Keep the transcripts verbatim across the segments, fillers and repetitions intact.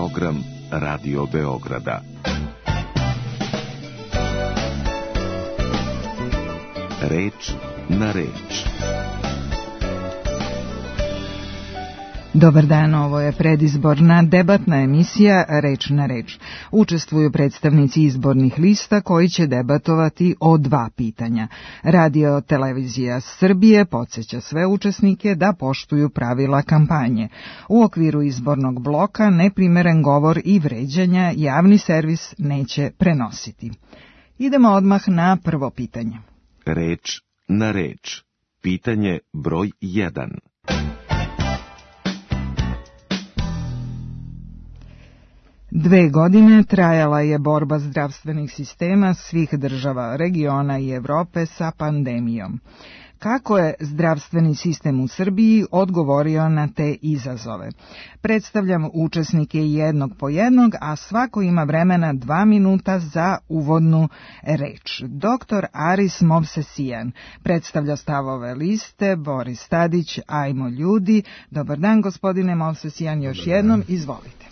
program Radio Beograda. Reč na reč. Dobar dan, ovo je predizborna debatna emisija Reč na reč. Učestvuju predstavnici izbornih lista koji će debatovati o dva pitanja. Radio Televizija Srbije podsjeća sve učesnike da poštuju pravila kampanje. U okviru izbornog bloka neprimeren govor i vređanja javni servis neće prenositi. Idemo odmah na prvo pitanje. Reč na reč. Pitanje broj jedan. Dve godine trajala je borba zdravstvenih sistema svih država, regiona i Evrope sa pandemijom. Kako je zdravstveni sistem u Srbiji odgovorio na te izazove? Predstavljam učesnike jednog po jednog, a svako ima vremena dva minuta za uvodnu reč. Doktor Aris Movsesian predstavlja stavove liste, Boris Tadić, Ajmo ljudi. Dobar dan, gospodine Movsesian, još jednom, izvolite.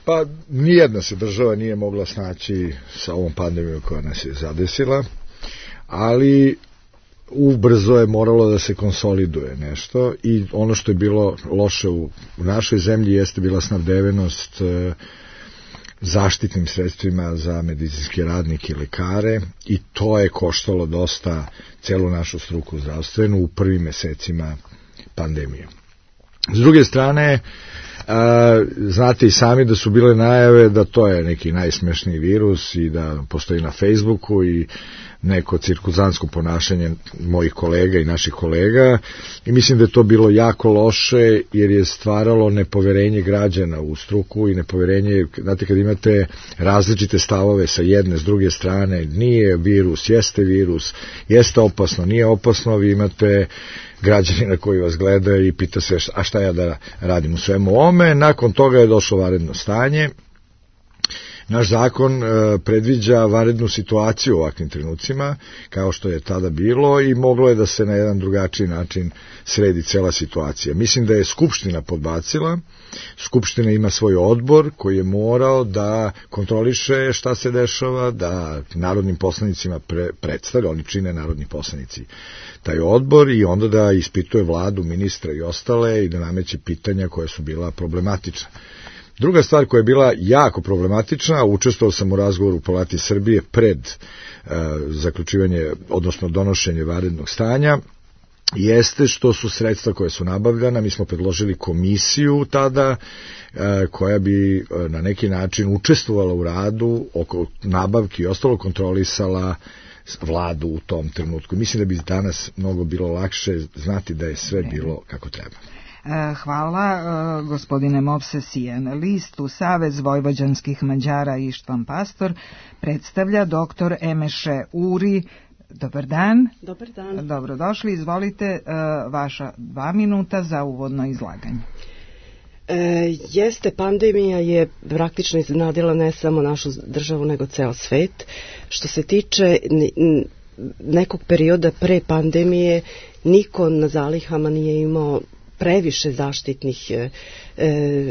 Pa nijedna se država nije mogla snaći sa ovom pandemijom koja nas je zadesila, ali ubrzo je moralo da se konsoliduje nešto i ono što je bilo loše u, u našoj zemlji jeste bila snabdevenost e, zaštitnim sredstvima za medicinske radnike i lekare i to je koštalo dosta celu našu struku zdravstvenu u prvim mesecima pandemije. S druge strane, a, znate i sami da su bile najave da to je neki najsmešniji virus i da postoji na Facebooku i neko cirkuzantsko ponašanje mojih kolega i naših kolega i mislim da je to bilo jako loše jer je stvaralo nepoverenje građana u struku i nepoverenje, znate kad imate različite stavove sa jedne, s druge strane, nije virus, jeste virus, jeste opasno, nije opasno, vi imate građanina koji vas gleda i pita se a šta ja da radim u svemu ome. Nakon toga je došlo vanredno stanje. Naš zakon e, predviđa vanrednu situaciju u ovakvim trenucima, kao što je tada bilo i moglo je da se na jedan drugačiji način sredi cela situacija. Mislim da je Skupština podbacila. Skupština ima svoj odbor koji je morao da kontroliše šta se dešava, da narodnim poslanicima pre, predstavlja, oni čine narodni poslanici taj odbor i onda da ispituje vladu, ministra i ostale i da nameće pitanja koja su bila problematična. Druga stvar koja je bila jako problematična, učestvovao sam u razgovoru u Palati Srbije pred e, zaključivanje, odnosno donošenje vanrednog stanja, jeste što su sredstva koje su nabavljana, mi smo predložili komisiju tada e, koja bi e, na neki način učestvovala u radu oko nabavki i ostalo kontrolisala vladu u tom trenutku. Mislim da bi danas mnogo bilo lakše znati da je sve bilo kako treba. Hvala, gospodine Movsesian. Listu Savez vojvođanskih Mađara Ištvan Pastor predstavlja doktor Emeše Uri. Dobar dan. Dobar dan. Dobrodošli, izvolite vaša dva minuta za uvodno izlaganje. E, jeste, pandemija je praktično iznenadila ne samo našu državu, nego ceo svet. Što se tiče nekog perioda pre pandemije, niko na zalihama nije imao previše zaštitnih, e,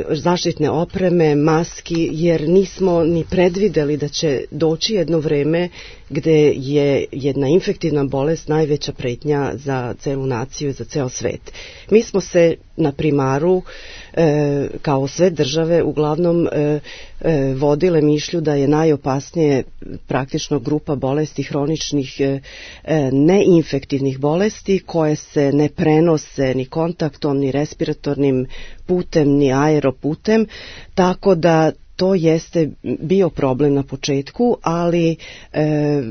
zaštitne opreme, maski, jer nismo ni predvideli da će doći jedno vreme gde je jedna infektivna bolest najveća pretnja za celu naciju i za ceo svet. Mi smo se na primaru, e, kao sve države, uglavnom e, e, vodile mišlju da je najopasnije praktično grupa bolesti hroničnih e, neinfektivnih bolesti koje se ne prenose ni kontaktom, ni respiratornim putem, ni aeroputem, tako da to jeste bio problem na početku, ali e,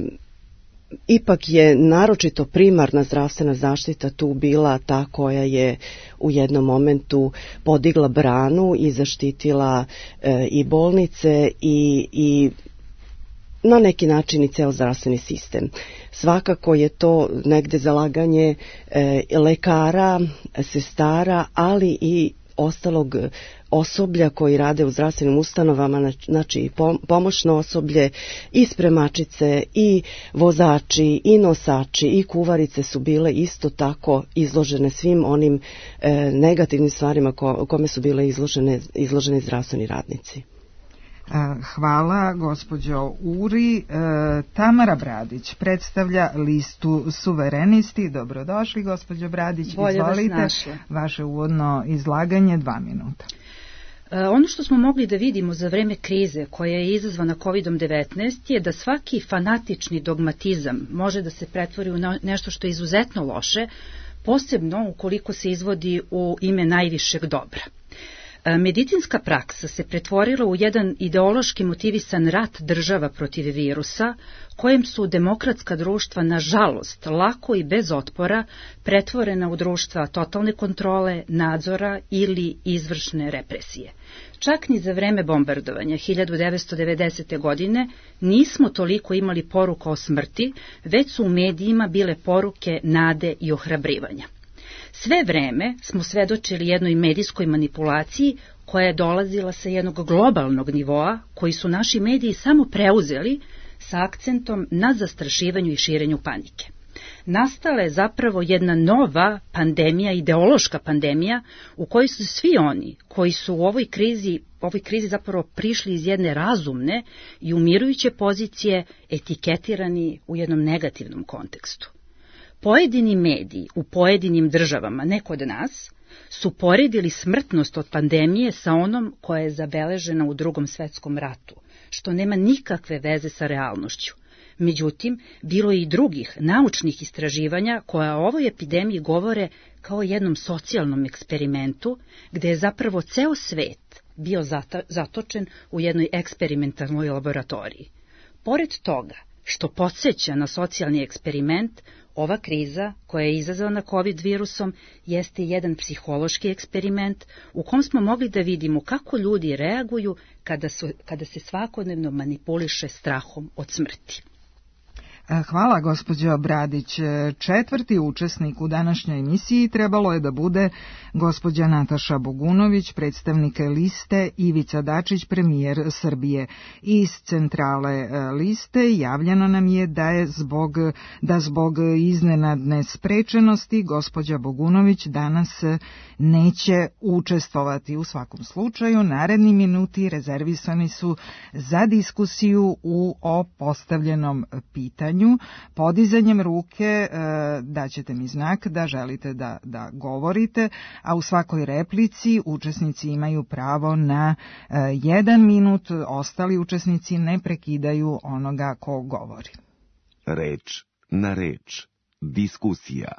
ipak je naročito primarna zdravstvena zaštita tu bila ta koja je u jednom momentu podigla branu i zaštitila e, i bolnice i, i na neki način i ceo zdravstveni sistem. Svakako je to negde zalaganje e, lekara, sestara, ali i ostalog osoblja koji rade u zdravstvenim ustanovama, znači i pomoćno osoblje, i spremačice, i vozači, i nosači, i kuvarice su bile isto tako izložene svim onim e, negativnim stvarima ko, kome su bile izložene, izloženi zdravstveni radnici. Hvala, gospođo Uri. Tamara Bradić predstavlja listu Suverenisti. Dobrodošli, gospođo Bradić. Bolje izvolite. vas našla. Vaše uvodno izlaganje, dva minuta. Ono što smo mogli da vidimo za vreme krize koja je izazvana kovid devetnaest je da svaki fanatični dogmatizam može da se pretvori u nešto što je izuzetno loše, posebno ukoliko se izvodi u ime najvišeg dobra. Medicinska praksa se pretvorila u jedan ideološki motivisan rat država protiv virusa, kojem su demokratska društva, nažalost, lako i bez otpora pretvorena u društva totalne kontrole, nadzora ili izvršne represije. Čak ni za vreme bombardovanja hiljadu devetsto devedesete. godine nismo toliko imali poruka o smrti, već su u medijima bile poruke nade i ohrabrivanja. Sve vreme smo svedočili jednoj medijskoj manipulaciji koja je dolazila sa jednog globalnog nivoa koji su naši mediji samo preuzeli sa akcentom na zastrašivanju i širenju panike. Nastala je zapravo jedna nova pandemija, ideološka pandemija, u kojoj su svi oni koji su u ovoj krizi, ovoj krizi zapravo prišli iz jedne razumne i umirujuće pozicije etiketirani u jednom negativnom kontekstu. Pojedini mediji u pojedinim državama, ne kod nas, su poredili smrtnost od pandemije sa onom koja je zabeležena u Drugom svetskom ratu, što nema nikakve veze sa realnošću. Međutim, bilo je i drugih naučnih istraživanja koja o ovoj epidemiji govore kao jednom socijalnom eksperimentu, gde je zapravo ceo svet bio zatočen u jednoj eksperimentalnoj laboratoriji. Pored toga, što podsjeća na socijalni eksperiment, ova kriza, koja je izazvana COVID virusom, jeste jedan psihološki eksperiment u kom smo mogli da vidimo kako ljudi reaguju kada, su, kada se svakodnevno manipuliše strahom od smrti. Hvala, gospođo Bradić. Četvrti učesnik u današnjoj emisiji trebalo je da bude gospođa Nataša Bogunović, predstavnik liste Ivica Dačić, premijer Srbije. Iz centrale liste javljeno nam je da je zbog, da zbog iznenadne sprečenosti gospođa Bogunović danas neće učestvovati. U svakom slučaju, naredni minuti rezervisani su za diskusiju u o postavljenom pitanju. Podizanjem ruke e, daćete mi znak da želite da, da govorite, a u svakoj replici učesnici imaju pravo na e, jedan minut, ostali učesnici ne prekidaju onoga ko govori. Reč na reč. Diskusija.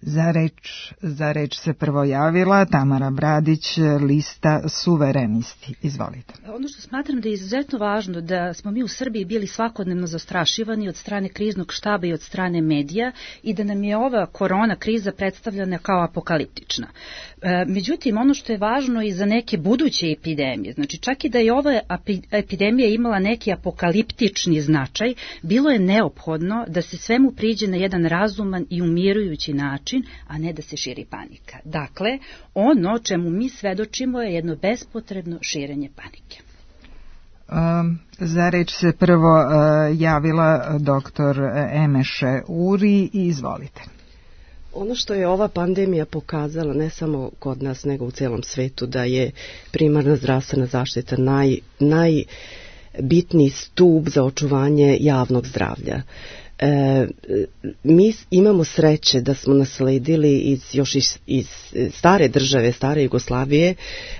Za reč, za reč se prvo javila Tamara Bradić, lista Suverenisti. Izvolite. Ono što smatram da je izuzetno važno da smo mi u Srbiji bili svakodnevno zastrašivani od strane kriznog štaba i od strane medija i da nam je ova korona kriza predstavljena kao apokaliptična. Međutim, ono što je važno i za neke buduće epidemije, znači čak i da je ova epidemija imala neki apokaliptični značaj, bilo je neophodno da se svemu priđe na jedan razuman i umirujući način, a ne da se širi panika. Dakle, ono čemu mi svedočimo je jedno bespotrebno širenje panike. Um, za reč se prvo uh, javila doktor Emeše Uri i izvolite. Ono što je ova pandemija pokazala, ne samo kod nas, nego u celom svetu, da je primarna zdravstvena zaštita naj, najbitniji stub za očuvanje javnog zdravlja. E, mi imamo sreće da smo nasledili iz, još iz, iz stare države, stare Jugoslavije,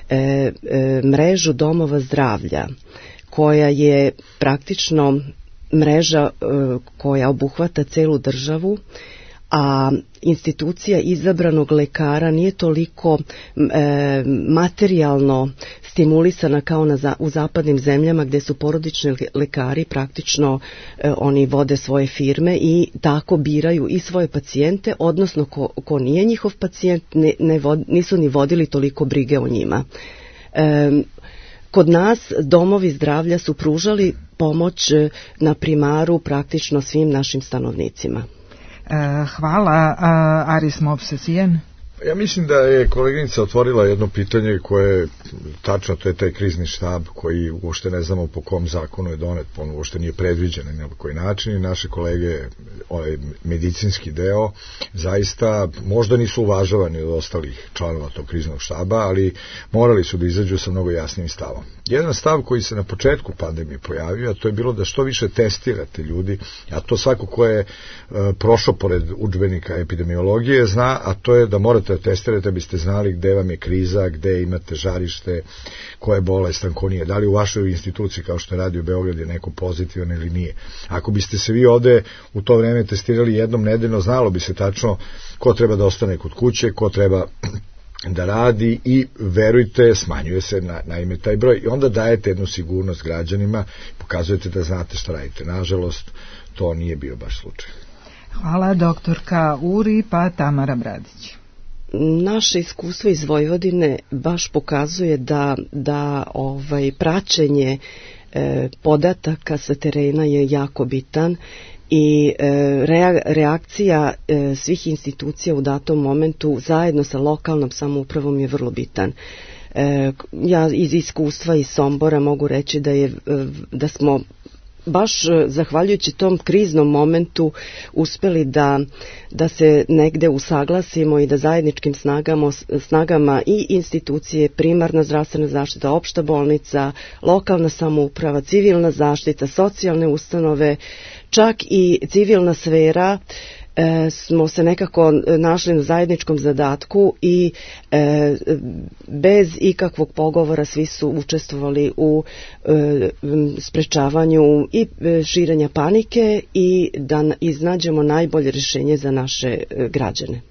e, e, mrežu domova zdravlja, koja je praktično mreža e, koja obuhvata celu državu, a institucija izabranog lekara nije toliko e, materijalno stimulisana kao na za, u zapadnim zemljama gde su porodični lekari praktično e, oni vode svoje firme i tako biraju i svoje pacijente, odnosno ko, ko nije njihov pacijent ne, ne vod, nisu ni vodili toliko brige o njima. E, kod nas domovi zdravlja su pružali pomoć na primaru praktično svim našim stanovnicima. Hvala. Aris Movsesijan. Ja mislim da je koleginica otvorila jedno pitanje koje je tačno, to je taj krizni štab koji uopšte ne znamo po kom zakonu je donet, on uopšte nije predviđen na koji način i naše kolege, ovaj medicinski deo, zaista možda nisu uvažavani od ostalih članova tog kriznog štaba, ali morali su da izađu sa mnogo jasnim stavom. Jedan stav koji se na početku pandemije pojavio, a to je bilo da što više testirate ljudi, a to svako ko je uh, prošao pored udžbenika epidemiologije zna, a to je da morate da testirate da biste znali gde vam je kriza, gde imate žarište, ko je bolestan, ko nije, da li u vašoj instituciji kao što je Radio Beograd je neko pozitivan ili nije. Ako biste se vi ovde u to vreme testirali jednom nedeljno, znalo bi se tačno ko treba da ostane kod kuće, ko treba da radi i verujte, smanjuje se na, naime taj broj i onda dajete jednu sigurnost građanima, pokazujete da znate šta radite. Nažalost, to nije bio baš slučaj. Hvala, doktorka Uri, pa Tamara Bradić. Naše iskustvo iz Vojvodine baš pokazuje da, da ovaj, praćenje e, podataka sa terena je jako bitan i e, reakcija e, svih institucija u datom momentu zajedno sa lokalnom samoupravom je vrlo bitan. E, ja iz iskustva iz Sombora mogu reći da, je, da smo baš zahvaljujući tom kriznom momentu uspeli da, da se negde usaglasimo i da zajedničkim snagama, snagama i institucije, primarna zdravstvena zaštita, opšta bolnica, lokalna samouprava, civilna zaštita, socijalne ustanove, čak i civilna sfera, E, smo se nekako našli na zajedničkom zadatku i e, bez ikakvog pogovora svi su učestvovali u e, sprečavanju i širenja panike i da iznađemo najbolje rješenje za naše e, građane.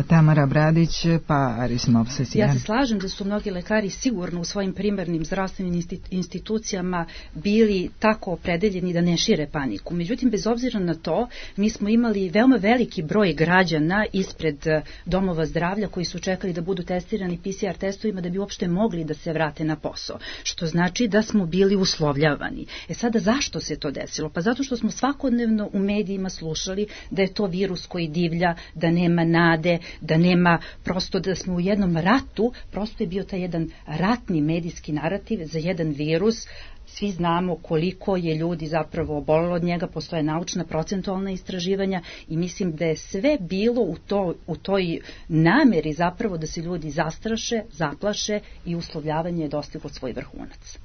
Tamara Bradić, pa Aris Movsesijan. Ja se slažem da su mnogi lekari sigurno u svojim primarnim zdravstvenim institucijama bili tako opredeljeni da ne šire paniku. Međutim, bez obzira na to, mi smo imali veoma veliki broj građana ispred domova zdravlja koji su čekali da budu testirani P C R testovima da bi uopšte mogli da se vrate na posao. Što znači da smo bili uslovljavani. E sada, zašto se to desilo? Pa zato što smo svakodnevno u medijima slušali da je to virus koji divlja, da nema nade, da nema, prosto da smo u jednom ratu, prosto je bio taj jedan ratni medijski narativ za jedan virus. Svi znamo koliko je ljudi zapravo obolelo od njega, postoje naučna procentualna istraživanja i mislim da je sve bilo u, to, u toj nameri zapravo da se ljudi zastraše, zaplaše i uslovljavanje je dostiglo svoj vrhunac.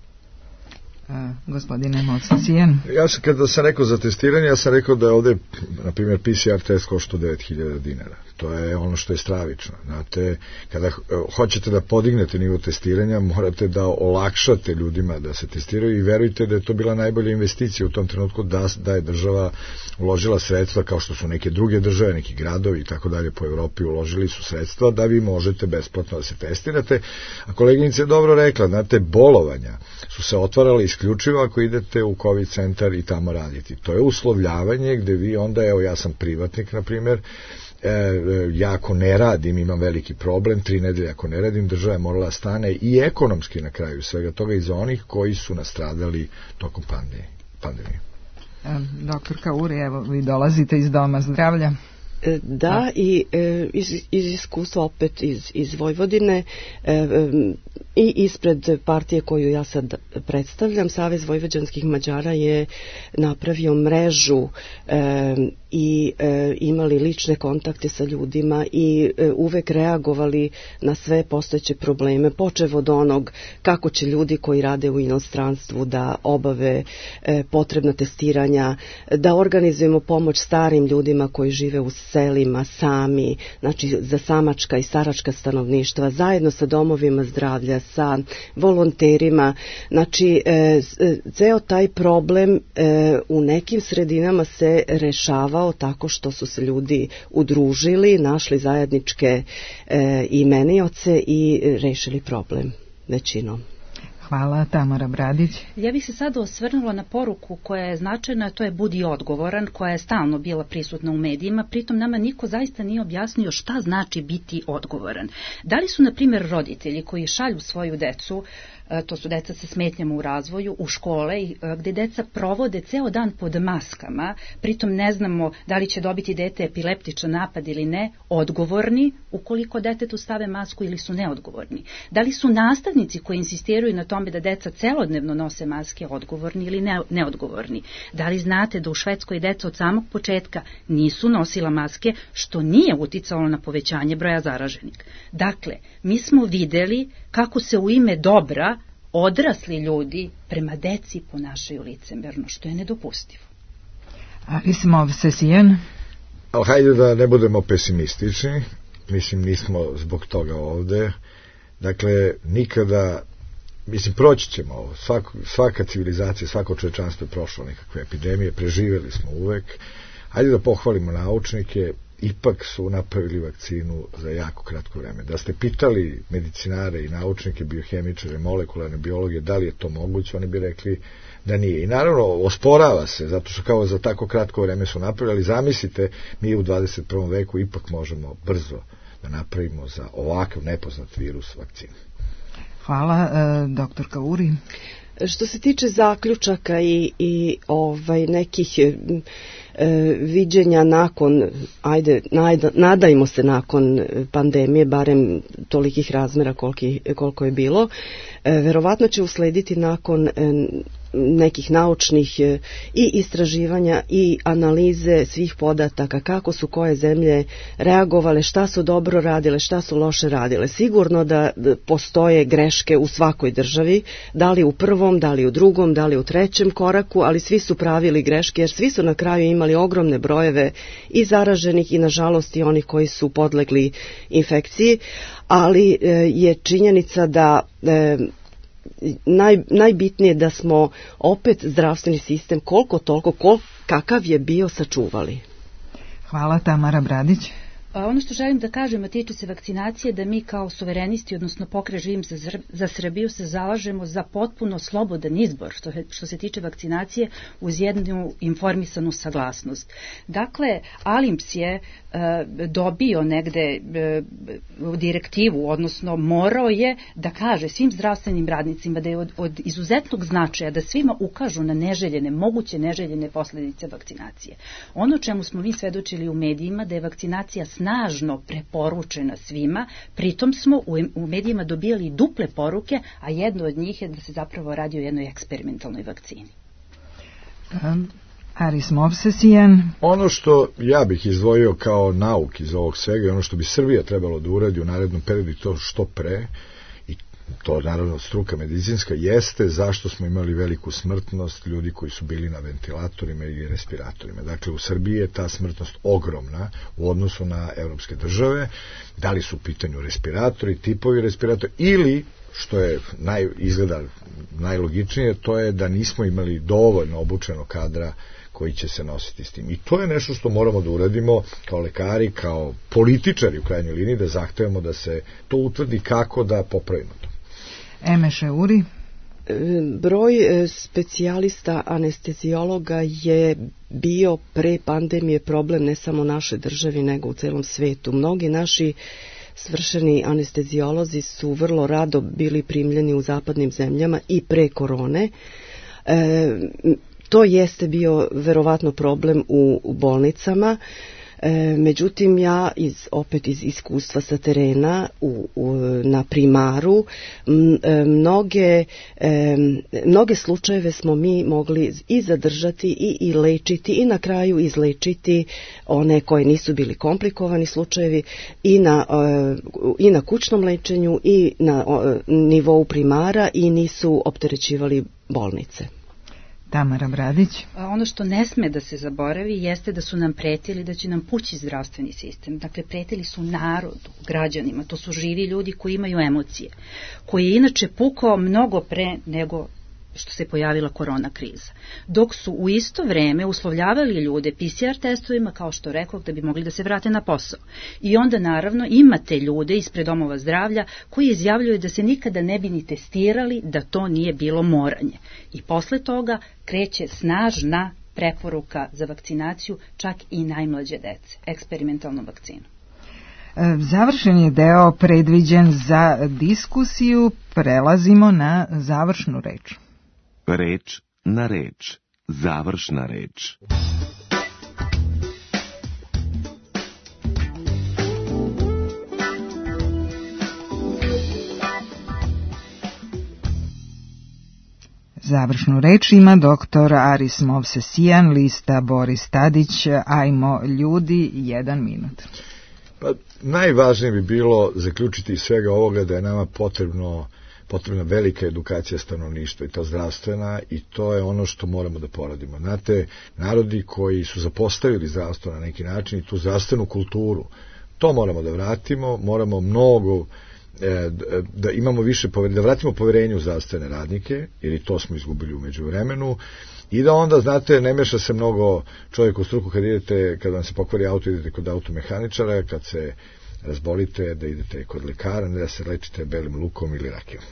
A, gospodine Movsesijan. Ja sam, kada sam rekao za testiranje, ja sam rekao da je ovde, na primjer, P C R test košta devet hiljada dinara. To je ono što je stravično. Znate, kada hoćete da podignete nivo testiranja, morate da olakšate ljudima da se testiraju i verujte da je to bila najbolja investicija u tom trenutku da, da je država uložila sredstva kao što su neke druge države, neki gradovi i tako dalje po Evropi uložili su sredstva da vi možete besplatno da se testirate. A koleginica je dobro rekla, znate, bolovanja su se otvarale isključivo ako idete u COVID centar i tamo raditi. To je uslovljavanje gde vi onda, evo ja sam privatnik na primjer, e, ja ako ne radim imam veliki problem, tri nedelje ako ne radim država je morala stane i ekonomski na kraju svega toga i za onih koji su nastradali tokom pandemije. pandemije. E, doktorka Uri, evo vi dolazite iz doma zdravlja. Da, i e, iz, iz iskustva opet iz, iz Vojvodine e, e, i ispred partije koju ja sad predstavljam, Savez vojvođanskih Mađara je napravio mrežu e, i e, imali lične kontakte sa ljudima i e, uvek reagovali na sve postojeće probleme, počev od onog kako će ljudi koji rade u inostranstvu da obave e, potrebna testiranja, da organizujemo pomoć starim ljudima koji žive u selima sami, znači za samačka i staračka stanovništva, zajedno sa domovima zdravlja, sa volonterima, znači e, ceo taj problem e, u nekim sredinama se rešavao tako što su se ljudi udružili, našli zajedničke e, imenioce i rešili problem većinom. Hvala, Tamara Bradić. Ja bih se sada osvrnula na poruku koja je značajna, to je budi odgovoran, koja je stalno bila prisutna u medijima, pritom nama niko zaista nije objasnio šta znači biti odgovoran. Da li su, na primjer, roditelji koji šalju svoju decu to su deca sa smetnjama u razvoju, u škole, gde deca provode ceo dan pod maskama, pritom ne znamo da li će dobiti dete epileptičan napad ili ne, odgovorni ukoliko detetu stave masku ili su neodgovorni. Da li su nastavnici koji insistiraju na tome da deca celodnevno nose maske odgovorni ili ne, neodgovorni? Da li znate da u Švedskoj deca od samog početka nisu nosila maske, što nije uticalo na povećanje broja zaraženih? Dakle, mi smo videli kako se u ime dobra odrasli ljudi prema deci ponašaju licemerno, što je nedopustivo. Arismov Sesijen. Hajde da ne budemo pesimistični, mislim nismo zbog toga ovde. Dakle, nikada, mislim, proći ćemo ovo. Svak, svaka civilizacija, svako čovečanstvo je prošlo nekakve epidemije, preživjeli smo uvek. Hajde da pohvalimo naučnike, ipak su napravili vakcinu za jako kratko vreme. Da ste pitali medicinare i naučnike, biohemičare, molekularne biologe, da li je to moguće, oni bi rekli da nije. I naravno, osporava se, zato što kao za tako kratko vreme su napravili, ali zamislite, mi u dvadeset prvom veku ipak možemo brzo da napravimo za ovakav nepoznat virus vakcinu. Hvala, e, doktorka Uri. Što se tiče zaključaka i, i ovaj nekih e, viđenja nakon, ajde, najda, nadajmo se nakon pandemije, barem tolikih razmera koliki, koliko je bilo, e, verovatno će uslediti nakon e, nekih naučnih e, i istraživanja i analize svih podataka, kako su koje zemlje reagovale, šta su dobro radile, šta su loše radile. Sigurno da postoje greške u svakoj državi, da li u prvom, da li u drugom, da li u trećem koraku, ali svi su pravili greške, jer svi su na kraju imali ogromne brojeve i zaraženih i nažalost i onih koji su podlegli infekciji, ali e, je činjenica da e, Naj, najbitnije da smo opet zdravstveni sistem koliko toliko, kol, kakav je bio, sačuvali. Hvala, Tamara Bradić. Ono što želim da kažem, a tiče se vakcinacije, da mi kao suverenisti, odnosno Pokret Živim za, za Srbiju, se zalažemo za potpuno slobodan izbor što, što se tiče vakcinacije uz jednu informisanu saglasnost. Dakle, Alimps je e, dobio negde e, direktivu, odnosno morao je da kaže svim zdravstvenim radnicima da je od, od izuzetnog značaja da svima ukažu na neželjene, moguće neželjene posledice vakcinacije. Ono čemu smo mi svedočili u medijima, da je vakcinacija snažno preporučena svima, pritom smo u, u medijima dobijali duple poruke, a jedno od njih je da se zapravo radi o jednoj eksperimentalnoj vakcini. Um, Arismov Sesijen. Ono što ja bih izdvojio kao nauk iz ovog svega i ono što bi Srbija trebalo da uradi u narednom periodu i to što pre, i to naravno struka medicinska, jeste zašto smo imali veliku smrtnost ljudi koji su bili na ventilatorima i respiratorima. Dakle, u Srbiji je ta smrtnost ogromna u odnosu na evropske države. Da li su u pitanju respiratori, tipovi respiratora, ili, što je naj, izgleda najlogičnije, to je da nismo imali dovoljno obučenog kadra koji će se nositi s tim. I to je nešto što moramo da uradimo kao lekari, kao političari u krajnjoj liniji, da zahtevamo da se to utvrdi kako da popravimo to. Emeše Uri. Broj specijalista anestezijologa je bio pre pandemije problem ne samo naše državi, nego u celom svetu. Mnogi naši svršeni anestezijolozi su vrlo rado bili primljeni u zapadnim zemljama i pre korone. E, to jeste bio verovatno problem u, u bolnicama. E, međutim, ja iz, opet iz iskustva sa terena u, u, na primaru m, e, mnoge, e, mnoge slučajeve smo mi mogli i zadržati i, i lečiti i na kraju izlečiti one koje nisu bili komplikovani slučajevi i na, e, i na kućnom lečenju i na o, nivou primara i nisu opterećivali bolnice. Tamara Bradić. Ono što ne sme da se zaboravi jeste da su nam pretili da će nam pući zdravstveni sistem. Dakle, pretili su narodu, građanima. To su živi ljudi koji imaju emocije, koji je inače pukao mnogo pre nego što se pojavila korona kriza. Dok su u isto vreme uslovljavali ljude P C R testovima, kao što rekao, da bi mogli da se vrate na posao. I onda naravno imate ljude ispred domova zdravlja koji izjavljuju da se nikada ne bi ni testirali da to nije bilo moranje. I posle toga kreće snažna preporuka za vakcinaciju čak i najmlađe dece, eksperimentalnu vakcinu. Završen je deo predviđen za diskusiju, prelazimo na završnu reč. Reč na reč, završna reč. Završnu reč ima doktor Aris Movsesijan, lista Boris Tadić, Ajmo ljudi, jedan minut. Pa, najvažnije bi bilo zaključiti iz svega ovoga da je nama potrebno, potrebna velika edukacija stanovništva i to zdravstvena i to je ono što moramo da poradimo. Znate, narodi koji su zapostavili zdravstvo na neki način i tu zdravstvenu kulturu, to moramo da vratimo, moramo mnogo da imamo više poverenja, da vratimo poverenje u zdravstvene radnike, jer i to smo izgubili u međuvremenu, i da onda, znate, ne meša se mnogo čovjek u struku kad idete, kad vam se pokvari auto, idete kod automehaničara, kad se razbolite, da idete kod lekara, ne da se lečite belim lukom ili rakijom.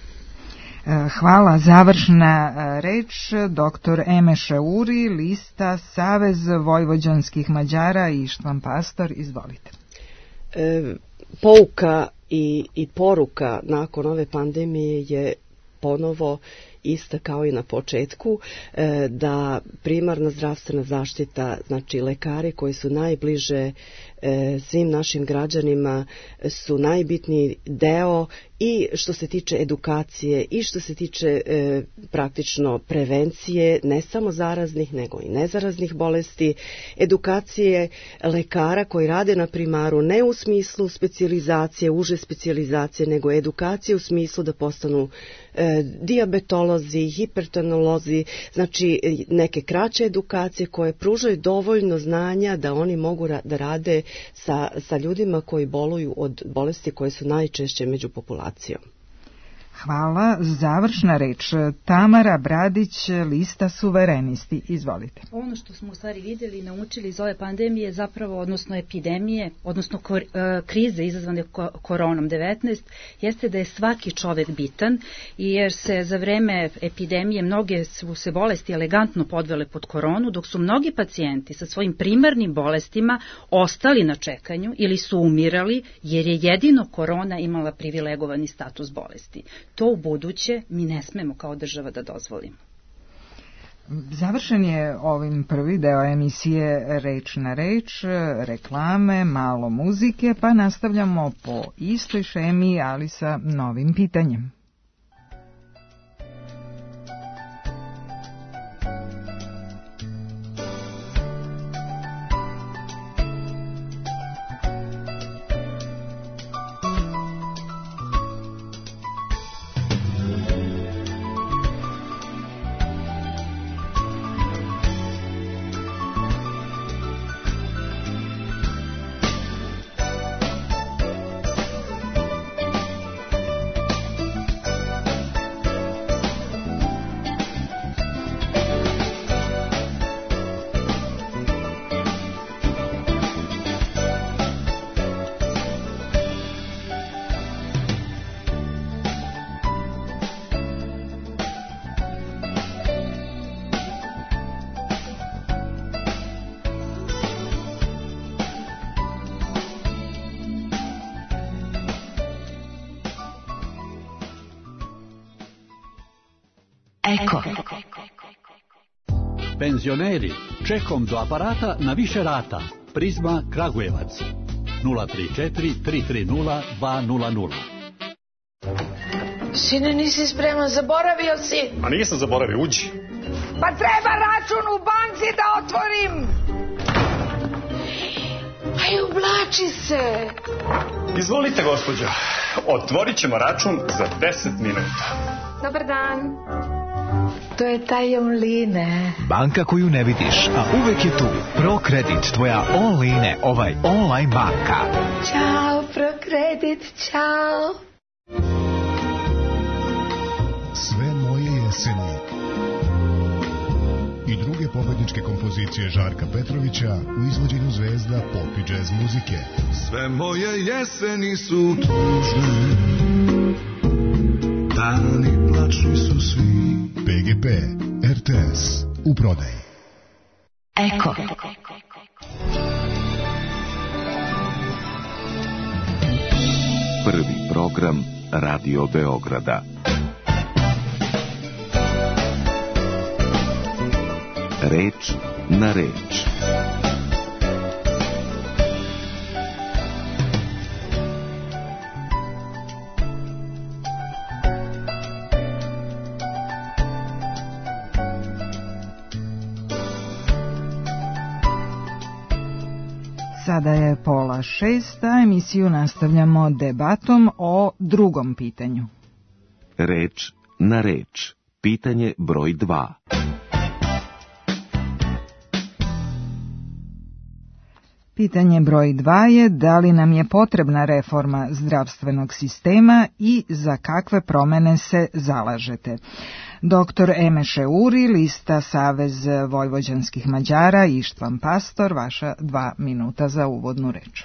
Hvala. Završna reč, doktor Emeše Uri, lista Savez vojvođanskih Mađara i Ištvan Pastor, izvolite. E, pouka I, i poruka nakon ove pandemije je ponovo ista kao i na početku, e, da primarna zdravstvena zaštita, znači lekari koji su najbliže e, svim našim građanima, su najbitniji deo i što se tiče edukacije i što se tiče e, praktično prevencije, ne samo zaraznih nego i nezaraznih bolesti, edukacije lekara koji rade na primaru ne u smislu specijalizacije, uže specijalizacije, nego edukacije u smislu da postanu e, dijabetolozi, hipertonolozi, znači neke kraće edukacije koje pružaju dovoljno znanja da oni mogu ra- da rade sa, sa ljudima koji boluju od bolesti koje su najčešće među populacijom. Hvala. Završna reč, Tamara Bradić, lista Suverenisti, izvolite. Ono što smo u stvari vidjeli i naučili iz ove pandemije, zapravo, odnosno epidemije, odnosno kor, krize izazvane koronom devetnaest, jeste da je svaki čovek bitan, i jer se za vreme epidemije mnoge su se bolesti elegantno podvele pod koronu, dok su mnogi pacijenti sa svojim primarnim bolestima ostali na čekanju ili su umirali, jer je jedino korona imala privilegovani status bolesti. To u buduće mi ne smemo kao država da dozvolimo. Završen je ovim prvi deo emisije Reč na reč, reklame, malo muzike, pa nastavljamo po istoj šemi, ali sa novim pitanjem. Eko. Penzioneri, čekom do aparata na više rata. Prizma Kragujevac. nula tri četiri tri tri nula dva nula nula. Sine, nisi spreman, zaboravio si. A nisam zaboravio, uđi. Pa treba račun u banci da otvorim. Aj, ublači se. Izvolite, gospođo. Otvorit ćemo račun za deset minuta. Dobar dan. To je taj online. Banka koju ne vidiš, a uvek je tu. ProKredit, tvoja online, ovaj online banka. Ćao, ProKredit, ćao. Sve moje jeseni i druge pobedničke kompozicije Žarka Petrovića u izvođenju zvezda pop i džez muzike. Sve moje jeseni su tužne, dani plačni su svi. P G P, R T S, u prodaji. Eko. Prvi program Radio Beograda. Reč na reč. Sada je pola šest, a emisiju nastavljamo debatom o drugom pitanju. Reč na reč. Pitanje broj dva. Pitanje broj dva je da li nam je potrebna reforma zdravstvenog sistema i za kakve promene se zalažete. Doktor Emeše Uri, lista Savez vojvođanskih Mađara, Ištvan Pastor, vaša dva minuta za uvodnu reč.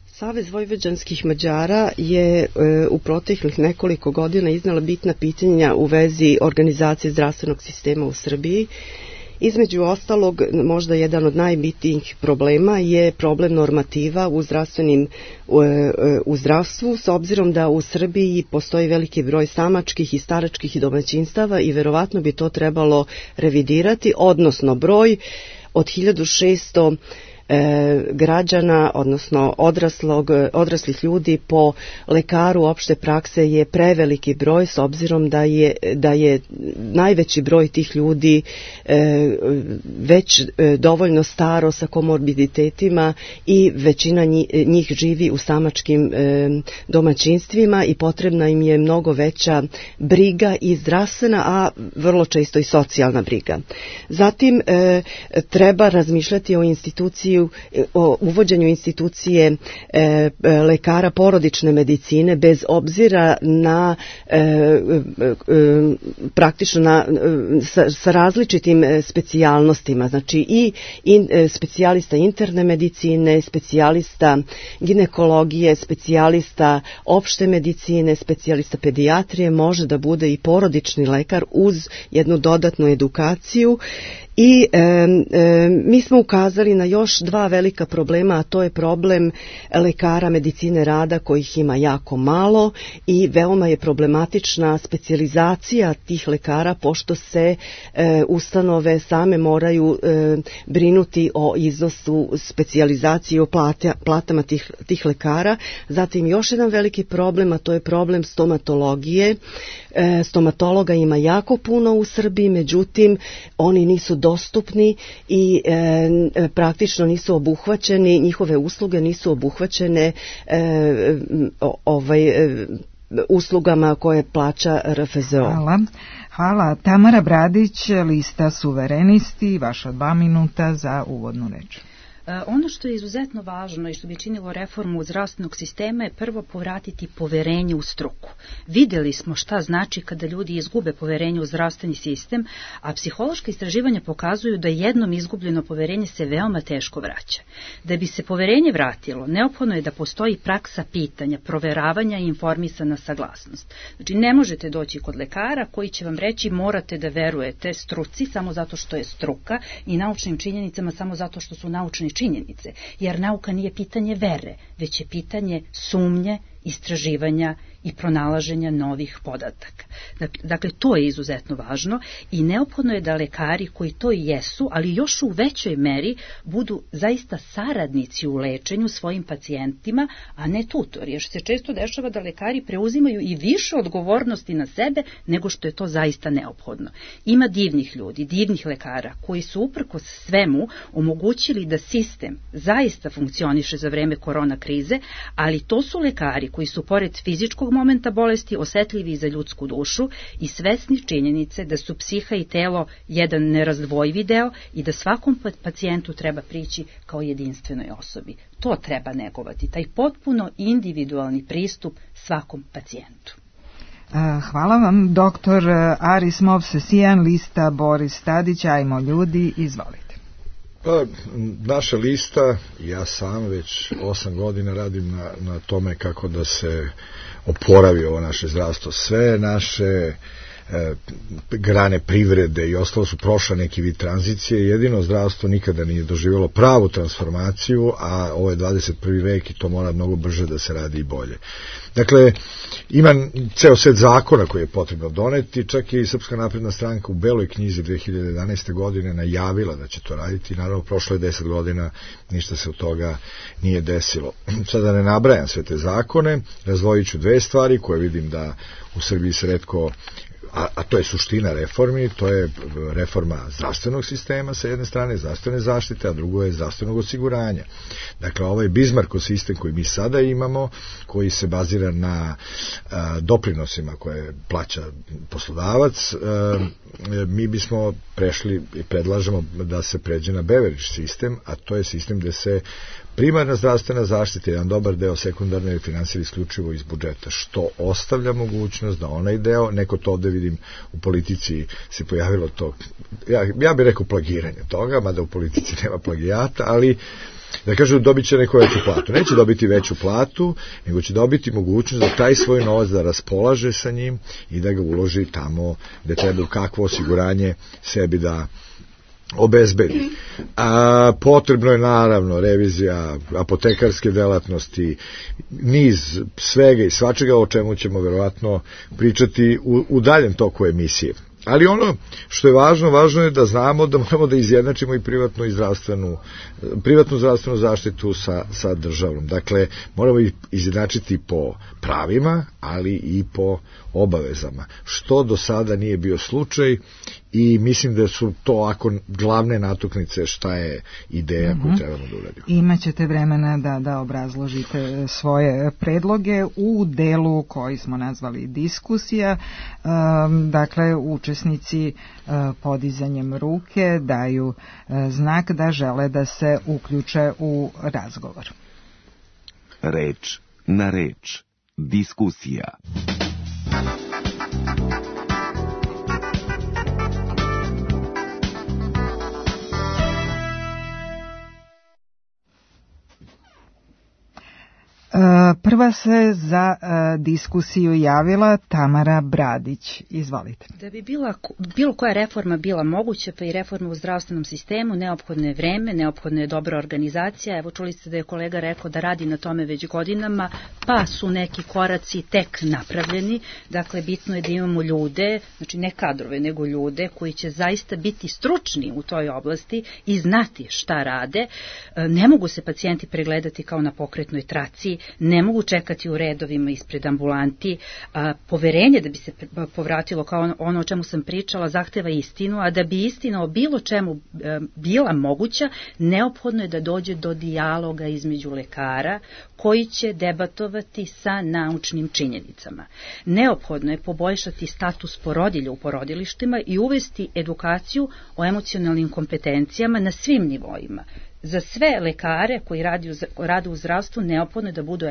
Savez vojvođanskih Mađara je e, u proteklih nekoliko godina iznala bitna pitanja u vezi organizacije zdravstvenog sistema u Srbiji. Između ostalog, možda jedan od najbitnijih problema je problem normativa u zdravstvenim u zdravstvu, s obzirom da u Srbiji postoji veliki broj samačkih i staračkih domaćinstava i verovatno bi to trebalo revidirati, odnosno broj od hiljadu šesto E, građana, odnosno odraslog, odraslih ljudi po lekaru opšte prakse je preveliki broj, s obzirom da je, da je najveći broj tih ljudi e, već e, dovoljno staro sa komorbiditetima i većina njih živi u samačkim e, domaćinstvima i potrebna im je mnogo veća briga i zdravstvena, a vrlo često i socijalna briga. Zatim e, treba razmišljati o instituciji o uvođenju institucije e, lekara porodične medicine bez obzira na e, e, praktično na, sa, sa različitim specijalnostima, znači i in, specijalista interne medicine, specijalista ginekologije, specijalista opšte medicine, specijalista pedijatrije, može da bude i porodični lekar uz jednu dodatnu edukaciju. I e, e, mi smo ukazali na još dva velika problema, a to je problem lekara medicine rada kojih ima jako malo i veoma je problematična specijalizacija tih lekara, pošto se e, ustanove same moraju e, brinuti o iznosu specijalizacije i o plata, platama tih, tih lekara. Zatim još jedan veliki problem, a to je problem stomatologije. E, stomatologa ima jako puno u Srbiji, međutim oni nisu dostupni i e, praktično nisu obuhvaćeni, njihove usluge nisu obuhvaćene e, ovaj, e, uslugama koje plaća R F Z O. Hvala. Hvala. Tamara Bradić, lista Suverenisti, vaša dva minuta za uvodnu reč. Ono što je izuzetno važno i što bi činilo reformu zdravstvenog sistema je prvo povratiti poverenje u struku. Videli smo šta znači kada ljudi izgube poverenje u zdravstveni sistem, a psihološka istraživanja pokazuju da jednom izgubljeno poverenje se veoma teško vraća. Da bi se poverenje vratilo, neophodno je da postoji praksa pitanja, proveravanja i informisana saglasnost. Znači, ne možete doći kod lekara koji će vam reći morate da verujete struci samo zato što je struka i naučnim činjenicama samo zato što su naučni činjenice, jer nauka nije pitanje vere, već je pitanje sumnje, istraživanja i pronalaženja novih podataka. Dakle, to je izuzetno važno i neophodno je da lekari koji to i jesu, ali još u većoj meri, budu zaista saradnici u lečenju svojim pacijentima, a ne tutori, jer se često dešava da lekari preuzimaju i više odgovornosti na sebe nego što je to zaista neophodno. Ima divnih ljudi, divnih lekara koji su uprkos svemu omogućili da sistem zaista funkcioniše za vreme korona krize, ali to su lekari koji su pored fizičkog momenta bolesti osetljivi za ljudsku dušu i svesni činjenice da su psiha i telo jedan nerazdvojivi deo i da svakom pacijentu treba prići kao jedinstvenoj osobi. To treba negovati, taj potpuno individualni pristup svakom pacijentu. Hvala vam, doktor Aris Movsesijan, lista Boris Tadić, ajmo ljudi, izvolite. Pa, naša lista, ja sam već osam godina radim na, na tome kako da se oporavi ovo naše zdravstvo. Sve naše e, grane privrede i ostalo su prošla neki vid tranzicije. Jedino zdravstvo nikada nije doživjelo pravu transformaciju, a ovo je dvadeset prvi vek i to mora mnogo brže da se radi i bolje. Dakle, ima ceo set zakona koji je potrebno doneti, čak i Srpska napredna stranka u Beloj knjizi dve hiljade jedanaeste godine najavila da će to raditi i naravno prošlo je deset godina, ništa se od toga nije desilo. Sada ne nabrajam sve te zakone, razdvojit ću dve stvari koje vidim da u Srbiji se retko, a, a to je suština reformi, to je reforma zdravstvenog sistema sa jedne strane, zdravstvene zaštite, a drugo je zdravstvenog osiguranja. Dakle, ovaj Bismarckov sistem koji mi sada imamo, koji se bazira na a, doprinosima koje plaća poslodavac, a, mi bismo prešli i predlažemo da se pređe na Beveridge sistem, a to je sistem gde se primarna zdravstvena zaštita je jedan dobar deo, sekundarno je finansira isključivo iz budžeta, što ostavlja mogućnost da onaj deo, neko to ovde vidim u politici se pojavilo to, ja, ja bih rekao plagiranje toga, mada u politici nema plagijata, ali da kažu dobit će neko veću platu. Neće dobiti veću platu, nego će dobiti mogućnost da taj svoj novac da raspolaže sa njim i da ga uloži tamo gde treba, kakvo osiguranje sebi da obezbedi. A, potrebno je naravno revizija apotekarske delatnosti, niz svega i svačega o čemu ćemo verovatno pričati u, u daljem toku emisije. Ali ono što je važno, važno je da znamo da moramo da izjednačimo i privatnu i zdravstvenu, privatnu zdravstvenu zaštitu sa, sa državnom. Dakle, moramo izjednačiti po pravima, ali i po obavezama, što do sada nije bio slučaj i mislim da su to ako glavne natuknice šta je ideja koju trebamo da uradimo. Imaćete vremena da, da obrazložite svoje predloge u delu koji smo nazvali diskusija. Um, dakle, učesnici uh, podizanjem ruke daju uh, znak da žele da se uključe u razgovor. Reč na reč. Diskusija. Prva se za uh, diskusiju javila Tamara Bradić. Izvolite. Da bi bila, bilo koja reforma bila moguća, pa i reforma u zdravstvenom sistemu, neophodno je vreme, neophodna je dobra organizacija. Evo čuli ste da je kolega rekao da radi na tome već godinama, pa su neki koraci tek napravljeni. Dakle, bitno je da imamo ljude, znači ne kadrove, nego ljude koji će zaista biti stručni u toj oblasti i znati šta rade. Ne mogu se pacijenti pregledati kao na pokretnoj traci, ne mogu čekati u redovima ispred ambulanti. A, poverenje da bi se povratilo kao ono o čemu sam pričala zahteva istinu, a da bi istina o bilo čemu e, bila moguća, neophodno je da dođe do dijaloga između lekara koji će debatovati sa naučnim činjenicama. Neophodno je poboljšati status porodilja u porodilištima i uvesti edukaciju o emocionalnim kompetencijama na svim nivoima. Za sve lekare koji radi u, rade u zdravstvu neophodno je da budu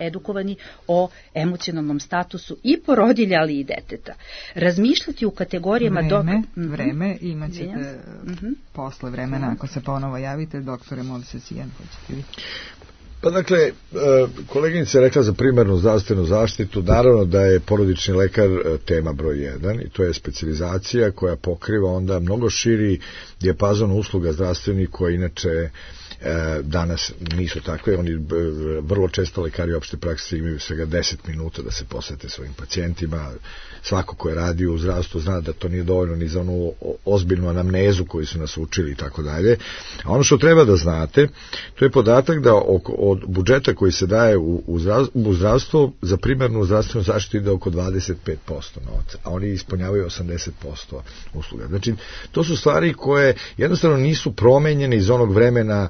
edukovani o emocionalnom statusu i porodilja, ali i deteta. Razmišljati u kategorijama... Vreme, dok... vreme, imat ćete mm-hmm. posle vremena, ako se ponovo javite, doktore Movsesijan, hoćete vi? Pa dakle, koleginica je rekla za primarnu zdravstvenu zaštitu, naravno da je porodični lekar tema broj jedan i to je specijalizacija koja pokriva onda mnogo širi dijapazon usluga zdravstvenih koje inače danas nisu takve. Oni vrlo često lekari opšte prakse imaju svega deset minuta da se posvete svojim pacijentima. Svako ko je radio u zdravstvu zna da to nije dovoljno ni za onu ozbiljnu anamnezu koju su nas učili i tako dalje. A ono što treba da znate, to je podatak da od budžeta koji se daje u zdravstvo za primarnu zdravstvenu zaštitu ide oko dvadeset pet posto novca, a oni ispunjavaju osamdeset posto usluga. Znači, to su stvari koje jednostavno nisu promenjene iz onog vremena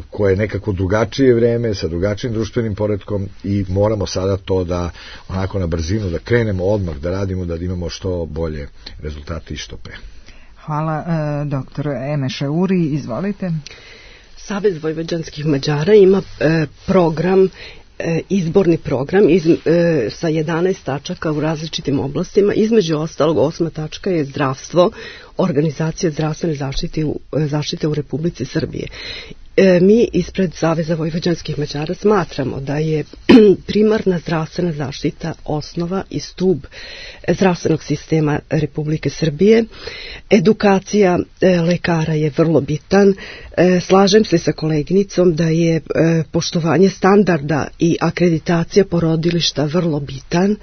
koje je nekako drugačije vreme, sa drugačijim društvenim poretkom i moramo sada to da onako na brzinu, da krenemo odmah, da radimo, da imamo što bolje rezultate i što pre. Hvala, e, doktor Emeše Uri, izvolite. Savez vojvođanskih Mađara ima e, program, e, izborni program iz, e, sa jedanaest tačaka u različitim oblastima. Između ostalog, osma tačka je zdravstvo, organizacija zdravstvene zaštite u, zaštite u Republici Srbije. e, mi ispred Saveza vojvođanskih Mađara smatramo da je primarna zdravstvena zaštita osnova i stub zdravstvenog sistema Republike Srbije. Edukacija e, lekara je vrlo bitan. E, slažem se sa koleginicom da je e, poštovanje standarda i akreditacija porodilišta vrlo bitan.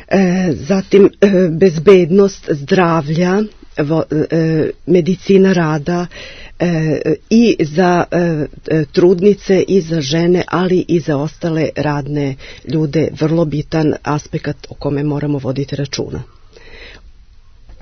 E, zatim e, bezbednost zdravlja, vo, e, medicina rada e, i za e, trudnice i za žene, ali i za ostale radne ljude vrlo bitan aspekt o kome moramo voditi računa.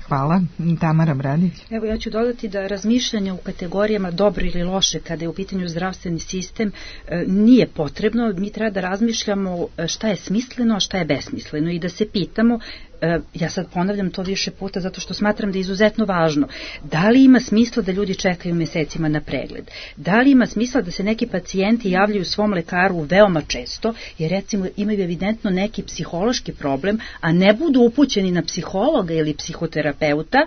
Hvala. Tamara Bradić. Evo, ja ću dodati da razmišljanje u kategorijama dobro ili loše kada je u pitanju zdravstveni sistem e, nije potrebno. Mi treba da razmišljamo šta je smisleno, a šta je besmisleno i da se pitamo, e, ja sad ponavljam to više puta zato što smatram da je izuzetno važno, da li ima smisla da ljudi čekaju mesecima na pregled? Da li ima smisla da se neki pacijenti javljaju svom lekaru veoma često, jer recimo imaju evidentno neki psihološki problem, a ne budu upućeni na psihologa ili psihoterapeuta,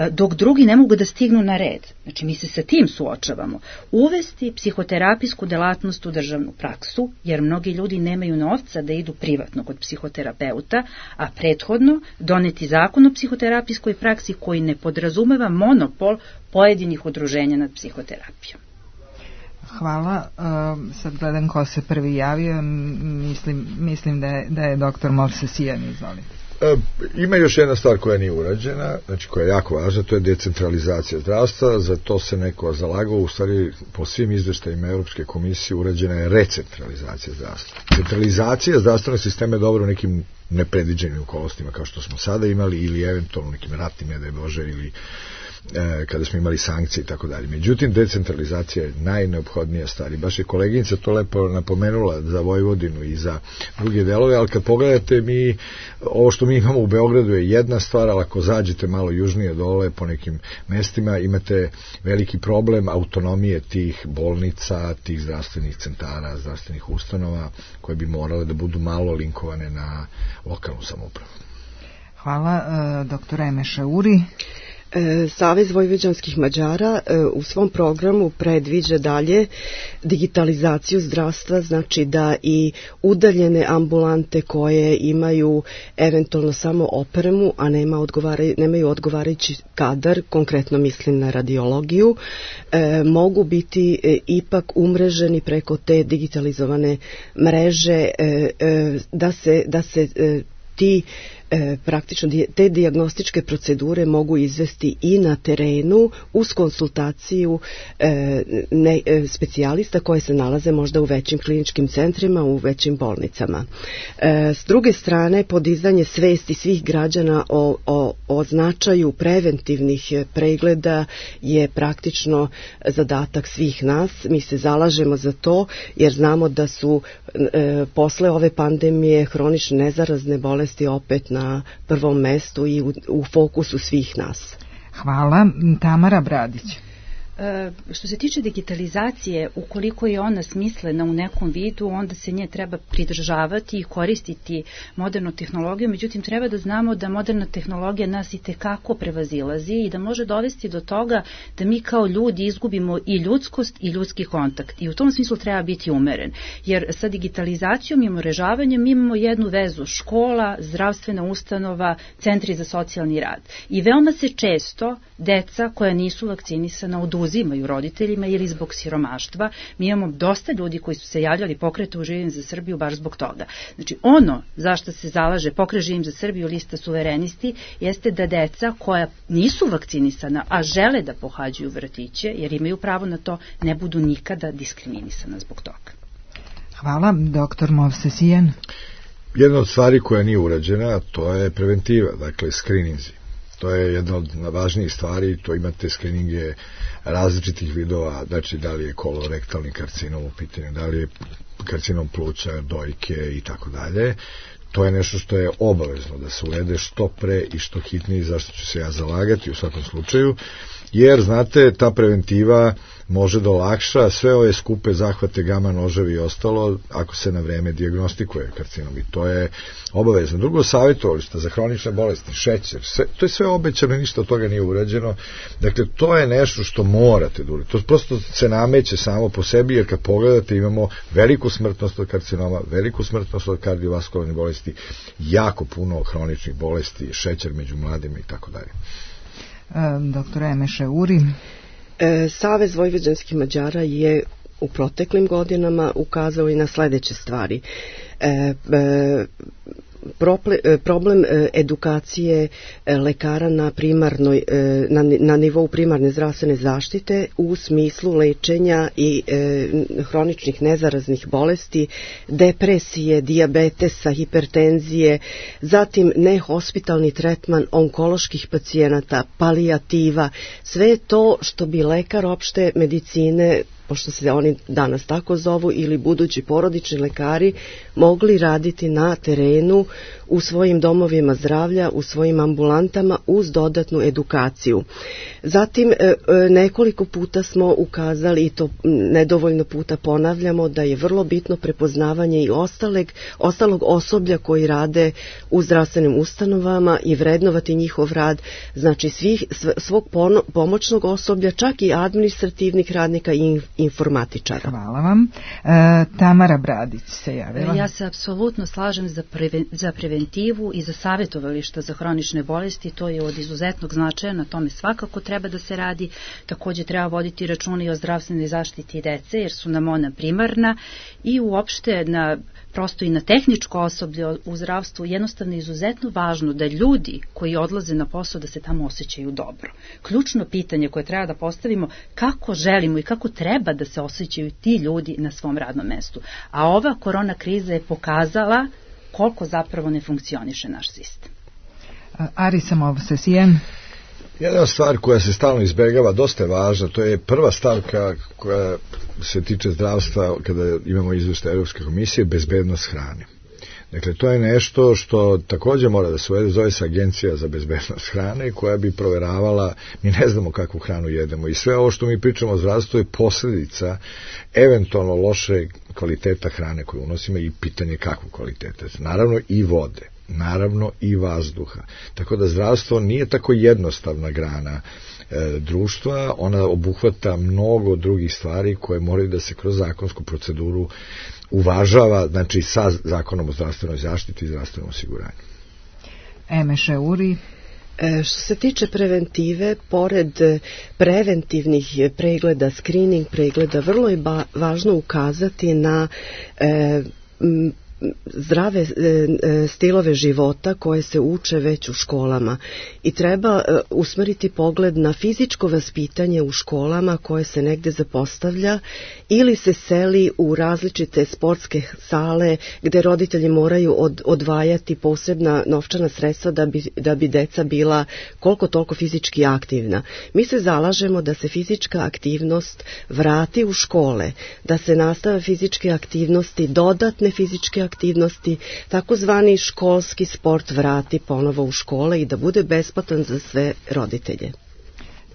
dok drugi ne mogu da stignu na red. Znači, mi se sa tim suočavamo. Uvesti psihoterapijsku delatnost u državnu praksu, jer mnogi ljudi nemaju novca da idu privatno kod psihoterapeuta, a prethodno doneti zakon o psihoterapijskoj praksi koji ne podrazumeva monopol pojedinih udruženja nad psihoterapijom. Hvala. Uh, sad gledam ko se prvi javio. Mislim, mislim da je, da je doktor Movsesijan, izvolite. E, ima još jedna stvar koja nije urađena, znači koja je jako važna, to je decentralizacija zdravstva. Za to se neko zalagao, u stvari po svim izveštajima Europske komisije urađena je recentralizacija zdravstva. Centralizacija zdravstvenog sistema je dobro u nekim nepredviđenim okolnostima kao što smo sada imali, ili eventualno nekim ratnim, ne daj Bože, ili e, kada smo imali sankcije i tako dalje. Međutim, decentralizacija je najneophodnija stvar. I baš je koleginica to lepo napomenula za Vojvodinu i za druge delove, ali kad pogledate, mi, ovo što mi imamo u Beogradu je jedna stvar, ali ako zađete malo južnije dole po nekim mestima, imate veliki problem autonomije tih bolnica, tih zdravstvenih centara, zdravstvenih ustanova, koje bi morale da budu malo linkovane na lokalnu samoupravu. Hvala. Doktora Emeša Uri. Savez vojvođanskih Mađara u svom programu predviđa dalje digitalizaciju zdravstva, znači da i udaljene ambulante koje imaju eventualno samo opremu, a nema odgovaraj, nemaju odgovarajući kadar, konkretno mislim na radiologiju, e, mogu biti e, ipak umreženi preko te digitalizovane mreže, e, e, da se, da se e, ti E, praktično te dijagnostičke procedure mogu izvesti i na terenu uz konsultaciju e, ne, e, specijalista koje se nalaze možda u većim kliničkim centrima, u većim bolnicama. E, s druge strane, podizanje svesti svih građana o, o, o značaju preventivnih pregleda je praktično zadatak svih nas. Mi se zalažemo za to jer znamo da su e, posle ove pandemije hronične nezarazne bolesti opet na na prvom mestu i u, u fokusu svih nas. Hvala. Tamara Bradić. E, što se tiče digitalizacije, ukoliko je ona smislena u nekom vidu, onda se nje treba pridržavati i koristiti modernu tehnologiju, međutim treba da znamo da moderna tehnologija nas i tekako prevazilazi i da može dovesti do toga da mi kao ljudi izgubimo i ljudskost i ljudski kontakt. I u tom smislu treba biti umeren. Jer sa digitalizacijom i umrežavanjem imamo jednu vezu: škola, zdravstvena ustanova, centri za socijalni rad. I veoma se često deca koja nisu vakcinisana oduzimaju roditeljima ili zbog siromaštva. Mi imamo dosta ljudi koji su se javljali pokretu Živim za Srbiju baš zbog toga. Znači, ono zašto se zalaže Pokret Živim za Srbiju, lista suverenisti, jeste da deca koja nisu vakcinisana, a žele da pohađaju vrtiće, jer imaju pravo na to, ne budu nikada diskriminisana zbog toga. Hvala. Doktor Movsesijan. Jedna od stvari koja nije urađena, to je preventiva, dakle skrininzi. To je jedna od važnijih stvari, to imate skrininge različitih vidova, znači da li je kolorektalni karcinom u pitanju, da li je karcinom pluća, dojke i tako dalje. to je nešto što je obavezno da se uvede što pre i što hitnije, zašto ću se ja zalagati u svakom slučaju, jer, znate, ta preventiva može da olakša sve ove skupe zahvate, gama noževi i ostalo, ako se na vreme dijagnostikuje karcinom, i to je obavezno. Drugo, savjetovališta za hronične bolesti, šećer, sve, to je sve obećano i ništa od toga nije urađeno. Dakle, to je nešto što morate da uradite. To prosto se nameće samo po sebi, jer kad pogledate imamo veliku smrtnost od karcinoma, veliku smrtnost od kardiovaskularnih bolesti, jako puno hroničnih bolesti, šećer među mladima i tako dalje. Doktor Emeše Uri. E, Savez vojvođanskih Mađara je u proteklim godinama ukazao i na sledeće stvari. E, e, problem edukacije lekara na primarnoj na, na nivou primarne zdravstvene zaštite u smislu lečenja i e, hroničnih nezaraznih bolesti, depresije, dijabetesa, hipertenzije, zatim nehospitalni tretman onkoloških pacijenata, palijativa, sve to što bi lekar opšte medicine, pošto se oni danas tako zovu, ili budući porodični lekari, mogli raditi na terenu u svojim domovima zdravlja, u svojim ambulantama uz dodatnu edukaciju. Zatim nekoliko puta smo ukazali, i to nedovoljno puta ponavljamo, da je vrlo bitno prepoznavanje i ostalog, ostalog osoblja koji rade u zdravstvenim ustanovama i vrednovati njihov rad, znači svih, svog pomoćnog osoblja, čak i administrativnih radnika i informatičara. Hvala vam. E, Tamara Bradić se javila. Ja se apsolutno slažem za, preven, za preventivu i za savjetovališta za hronične bolesti. To je od izuzetnog značaja, na tome svakako treba da se radi. Također treba voditi računa i o zdravstvenoj zaštiti dece, jer su nam ona primarna, i uopšte na prosto i na tehničko osoblje u zdravstvu jednostavno izuzetno važno da ljudi koji odlaze na posao da se tamo osjećaju dobro. Ključno pitanje koje treba da postavimo, kako želimo i kako treba da se osjećaju ti ljudi na svom radnom mestu. A ova korona kriza je pokazala koliko zapravo ne funkcioniše naš sistem. Ari Samovsesijen. Jedna stvar koja se stalno izbegava, dosta je važna, to je prva stavka koja se tiče zdravstva kada imamo izveštaj Evropske komisije, bezbednost hrane. Dakle, to je nešto što također mora da se uvede, zove se Agencija za bezbednost hrane, koja bi proveravala, mi ne znamo kakvu hranu jedemo, i sve ovo što mi pričamo o zdravstvu je posljedica eventualno loše kvaliteta hrane koju unosimo i pitanje kakvu kvaliteta. Naravno i vode, naravno i vazduha. Tako da zdravstvo nije tako jednostavna grana e, društva, ona obuhvata mnogo drugih stvari koje moraju da se kroz zakonsku proceduru uvažava, znači sa zakonom o zdravstvenoj zaštiti i zdravstvenom osiguranju. Emeše Uri. E, što se tiče preventive, pored preventivnih pregleda, screening pregleda, vrlo je ba, važno ukazati na e, m, zdrave e, stilove života koje se uče već u školama, i treba e, usmeriti pogled na fizičko vaspitanje u školama koje se negde zapostavlja ili se seli u različite sportske sale gde roditelji moraju od, odvajati posebna novčana sredstva da bi, da bi deca bila koliko toliko fizički aktivna. Mi se zalažemo da se fizička aktivnost vrati u škole, da se nastave fizičke aktivnosti, dodatne fizičke aktivnosti, takozvani školski sport vrati ponovo u škole i da bude besplatan za sve roditelje.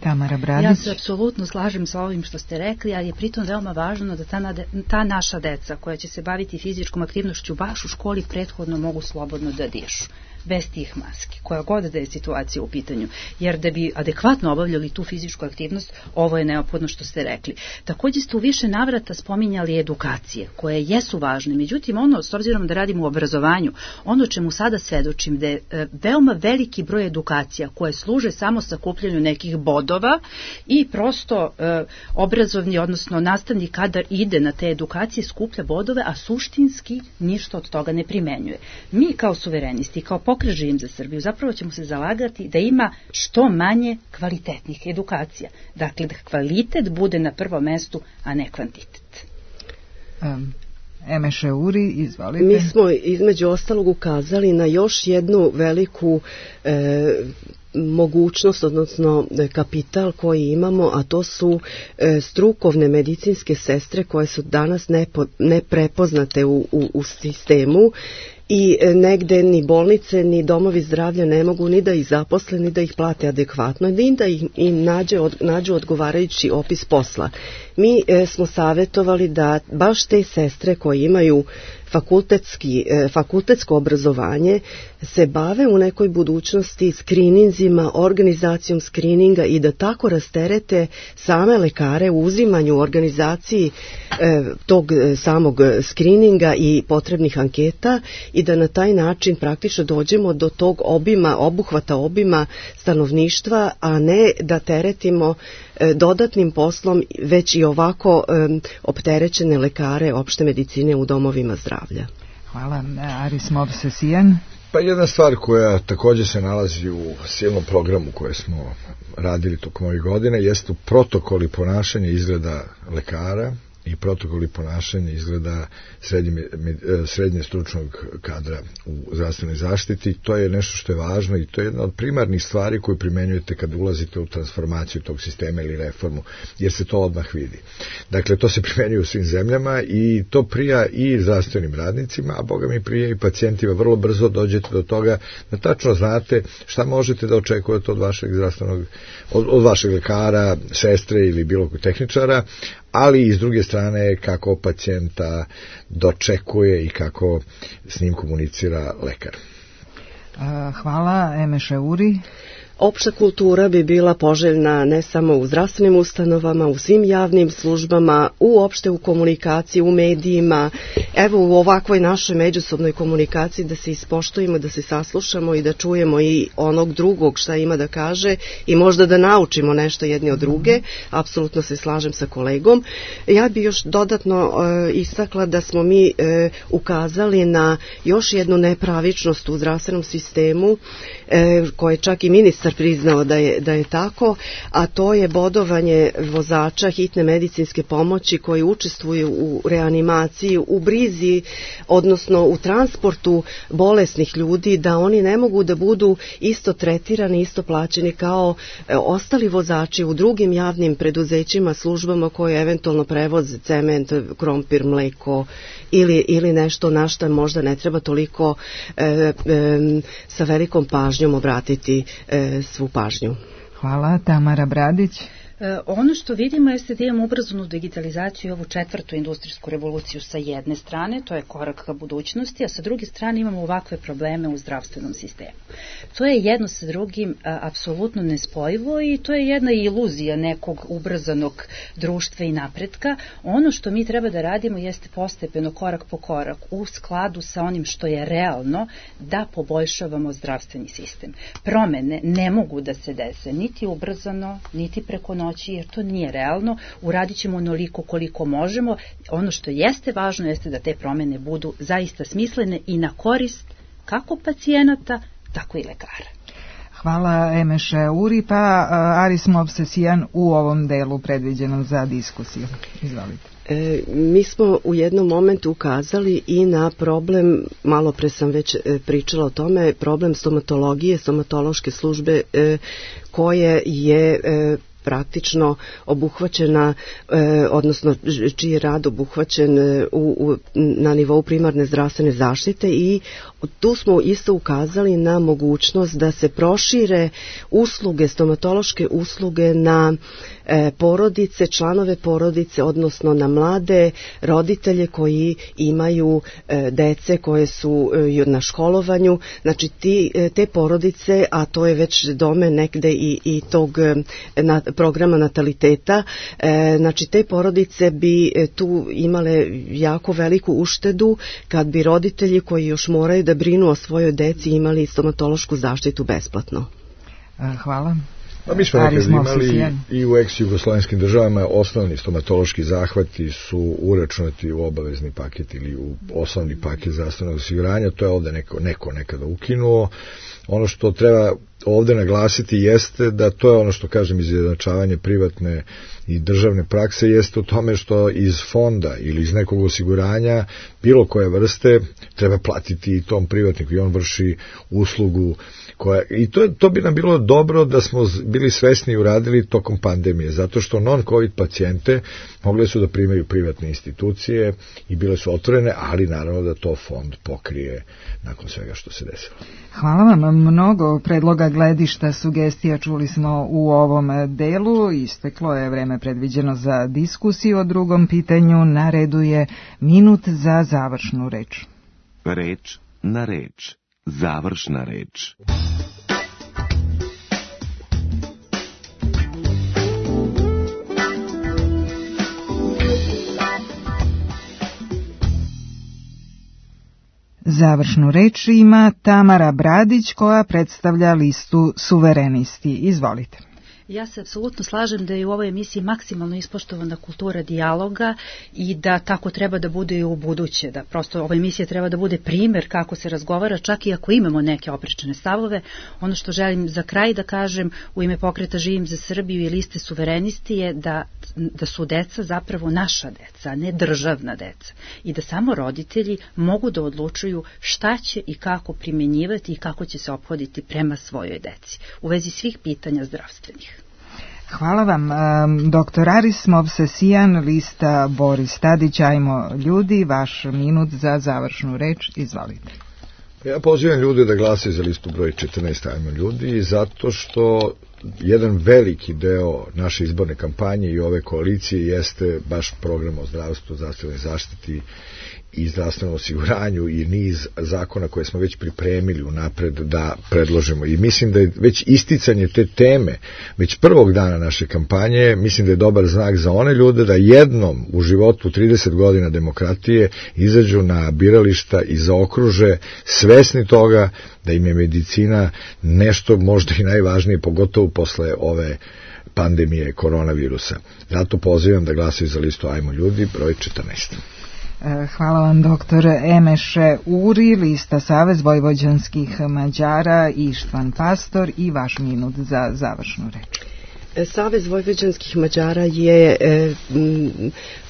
Tamara Bradić. Ja se apsolutno slažem sa ovim što ste rekli, ali je pritom veoma važno da ta, nade, ta naša deca koja će se baviti fizičkom aktivnošću baš u školi prethodno mogu slobodno da dišu, bez tih maski, koja god da je situacija u pitanju, jer da bi adekvatno obavljali tu fizičku aktivnost, ovo je neophodno što ste rekli. Također ste u više navrata spominjali edukacije, koje jesu važne, međutim ono, s obzirom da radimo u obrazovanju, ono čemu sada svedočim, da je e, veoma veliki broj edukacija koje služe samo sakupljanju nekih bodova i prosto e, obrazovni, odnosno nastavni kadar ide na te edukacije, skuplja bodove, a suštinski ništa od toga ne primenjuje. Mi kao suverenisti, kao pokret Živim za Srbiju, zapravo ćemo se zalagati da ima što manje kvalitetnih edukacija. Dakle, da kvalitet bude na prvom mestu, a ne kvantitet. Um. Emeše Uri, izvolite. Mi smo između ostalog ukazali na još jednu veliku e, mogućnost, odnosno kapital koji imamo, a to su e, strukovne medicinske sestre koje su danas nepo, neprepoznate u, u, u sistemu i negde ni bolnice ni domovi zdravlja ne mogu ni da ih zaposle ni da ih plate adekvatno, ni da ih, im nađe, od, nađu odgovarajući opis posla. Mi e, smo savjetovali da baš te sestre koje imaju fakultetski, e, fakultetsko obrazovanje se bave u nekoj budućnosti skrininzima, organizacijom skrininga i da tako rasterete same lekare u uzimanju organizaciji e, tog samog skrininga i potrebnih anketa i da na taj način praktično dođemo do tog obima, obuhvata obima stanovništva, a ne da teretimo e, dodatnim poslom već i ovako e, opterećene lekare opšte medicine u domovima zdravlja. Hvala. Aris Movsesijan. Pa jedna stvar koja također se nalazi u silnom programu koje smo radili tokom ovih godina jeste protokoli ponašanja izgleda lekara i protokoli ponašanja izgleda srednje, srednje stručnog kadra u zdravstvenoj zaštiti. To je nešto što je važno i to je jedna od primarnih stvari koju primenjujete kad ulazite u transformaciju tog sistema ili reformu, jer se to odmah vidi. Dakle, to se primenjuje u svim zemljama i to prija i zdravstvenim radnicima, a boga mi prija i pacijentima. Vrlo brzo dođete do toga da tačno znate šta možete da očekujete od vašeg zdravstvenog, od, od vašeg lekara, sestre ili bilo kojeg tehničara, ali i s druge strane kako pacijenta dočekuje i kako s njim komunicira lekar. Hvala. Emeše Uri. Opšta kultura bi bila poželjna ne samo u zdravstvenim ustanovama, u svim javnim službama, uopšte u komunikaciji, u medijima, evo u ovakvoj našoj međusobnoj komunikaciji da se ispoštujemo, da se saslušamo i da čujemo i onog drugog šta ima da kaže i možda da naučimo nešto jedni od druge. Apsolutno se slažem sa kolegom. Ja bih još dodatno e, istakla da smo mi e, ukazali na još jednu nepravičnost u zdravstvenom sistemu e, koje čak i ministar priznao da je, da je tako, a to je bodovanje vozača hitne medicinske pomoći koji učestvuju u reanimaciji, u brizi, odnosno u transportu bolesnih ljudi, da oni ne mogu da budu isto tretirani, isto plaćeni kao e, ostali vozači u drugim javnim preduzećima, službama koje eventualno prevoze cement, krompir, mleko ili, ili nešto na što možda ne treba toliko e, e, sa velikom pažnjom obratiti e, svu pažnju. Hvala. Tamara Bradić. E, ono što vidimo jeste da imamo ubrzanu digitalizaciju i ovu četvrtu industrijsku revoluciju sa jedne strane, to je korak ka budućnosti, a sa druge strane imamo ovakve probleme u zdravstvenom sistemu. To je jedno sa drugim a, apsolutno nespojivo i to je jedna iluzija nekog ubrzanog društva i napretka. Ono što mi treba da radimo jeste postepeno, korak po korak, u skladu sa onim što je realno, da poboljšavamo zdravstveni sistem. Promene ne mogu da se dese niti ubrzano, niti preko noći, jer to nije realno. Uradit ćemo onoliko koliko možemo. Ono što jeste važno jeste da te promene budu zaista smislene i na korist kako pacijenata, tako i lekara. Hvala Emeše Uri, pa Aris Movsesijan u ovom delu predviđenom za diskusiju. Izvolite. E, mi smo u jednom momentu ukazali i na problem, malo pre sam već e, pričala o tome, problem stomatologije, stomatološke službe e, koje je e, praktično obuhvaćena, e, odnosno čiji je rad obuhvaćen u, u, na nivou primarne zdravstvene zaštite i tu smo isto ukazali na mogućnost da se prošire usluge, stomatološke usluge na e, porodice, članove porodice, odnosno na mlade roditelje koji imaju e, dece koje su e, na školovanju. Znači ti, e, te porodice, a to je već domen nekde i, i tog e, na, programa nataliteta, e, znači te porodice bi e, tu imale jako veliku uštedu kad bi roditelji koji još moraju da brinu o svojoj deci imali stomatološku zaštitu besplatno. Hvala. Pa mi smo nekad imali i u ex-jugoslovenskim državama osnovni stomatološki zahvati su uračunati u obavezni paket ili u osnovni paket zdravstvenog osiguranja. To je ovde neko, neko nekada ukinuo. Ono što treba ovde naglasiti jeste da to je ono što kažem izjednačavanje privatne i državne prakse, jeste u tome što iz fonda ili iz nekog osiguranja bilo koje vrste treba platiti i tom privatniku i on vrši uslugu koja, i to, to bi nam bilo dobro da smo bili svesni i uradili tokom pandemije, zato što non-covid pacijente mogli su da primaju privatne institucije i bile su otvorene, ali naravno da to fond pokrije nakon svega što se desilo. Hvala vam, mnogo predloga, gledišta, sugestija čuli smo u ovom delu. Isteklo je vreme predviđeno za diskusiju o drugom pitanju. Na redu je minut za završnu reč. Reč na reč. Završna reč. Završnu reč ima Tamara Bradić, koja predstavlja listu Suverenisti. Izvolite. Ja se apsolutno slažem da je u ovoj emisiji maksimalno ispoštovana kultura dijaloga i da tako treba da bude i u buduće, da prosto ova emisija treba da bude primer kako se razgovara, čak i ako imamo neke oprečne stavove. Ono što želim za kraj da kažem u ime pokreta Živim za Srbiju i liste Suverenisti je da, da su deca zapravo naša deca, a ne državna deca, i da samo roditelji mogu da odlučuju šta će i kako primjenjivati i kako će se ophoditi prema svojoj deci u vezi svih pitanja zdravstvenih. Hvala vam. Doktor Aris Movsesijan, lista Boris Tadić, Ajmo ljudi, vaš minut za završnu reč, izvolite. Ja pozivam ljude da glasaju za listu broj četrnaest Ajmo ljudi, zato što jedan veliki deo naše izborne kampanje i ove koalicije jeste baš program o zdravstvu, zdravstvenoj zaštiti i zdravstvenom osiguranju i niz zakona koje smo već pripremili unapred da predložimo. I mislim da je već isticanje te teme, već prvog dana naše kampanje, mislim da je dobar znak za one ljude da jednom u životu trideset godina demokratije izađu na birališta i zaokruže svesni toga da im je medicina nešto možda i najvažnije, pogotovo posle ove pandemije koronavirusa. Zato pozivam da glasaju za listu Ajmo ljudi, broj četrnaest. Hvala vam, doktor Emeše Uri, lista Savez vojvođanskih Mađara, Ištvan Pastor, i vaš minut za završnu reč. Savez vojvođanskih Mađara je e,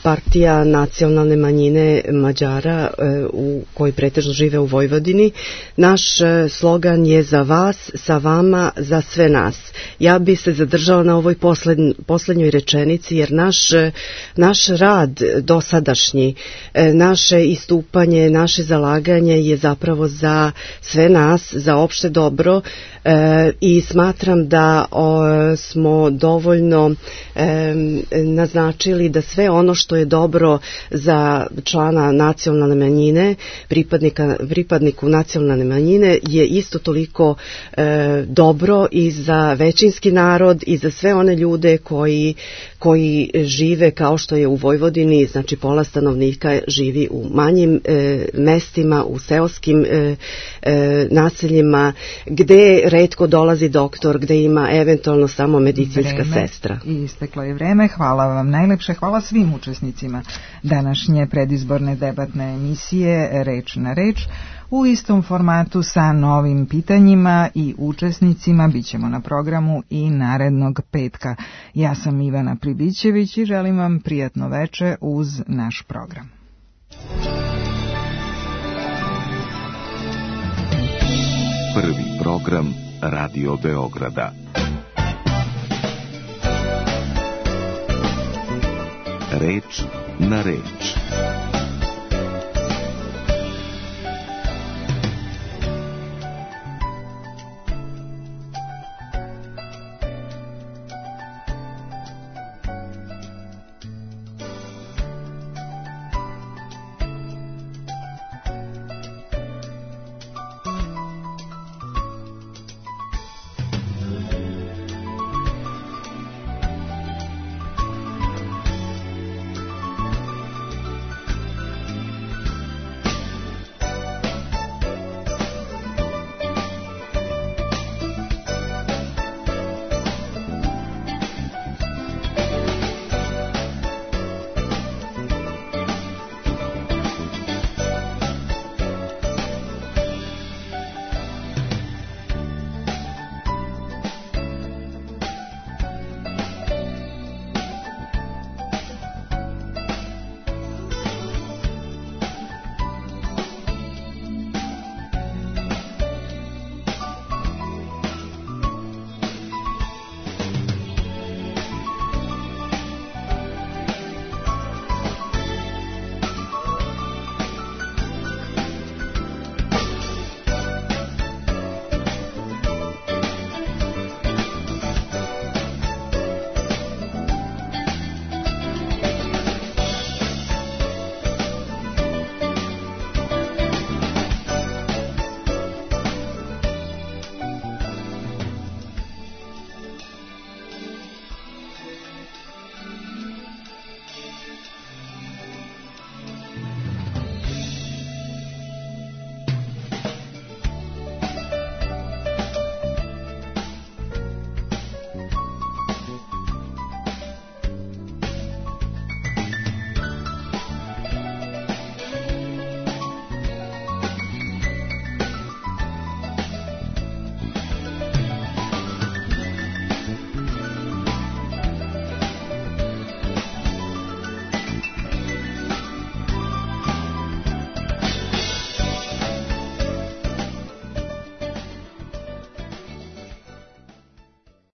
partija nacionalne manjine Mađara e, u koji pretežno žive u Vojvodini. Naš e, slogan je za vas, sa vama, za sve nas. Ja bi se zadržala na ovoj poslednj, poslednjoj rečenici, jer naš, naš rad dosadašnji, e, naše istupanje, naše zalaganje je zapravo za sve nas, za opšte dobro, e, i smatram da o, smo dovoljno e, naznačili da sve ono što je dobro za člana nacionalne manjine, pripadnika, pripadniku nacionalne manjine, je isto toliko e, dobro i za većinski narod i za sve one ljude koji, koji žive kao što je u Vojvodini, znači pola stanovnika živi u manjim e, mestima, u seoskim e, e, naseljima, gde retko dolazi doktor, gde ima eventualno samo medicinska vreme, sestra. I isteklo je vreme. Hvala vam najlepše. Hvala svim učesnicima današnje predizborne debatne emisije Reč na reč. U istom formatu sa novim pitanjima i učesnicima bit ćemo na programu i narednog petka. Ja sam Ivana Pribićević i želim vam prijatno veče uz naš program. Prvi program Radio Beograda. Reč na reč.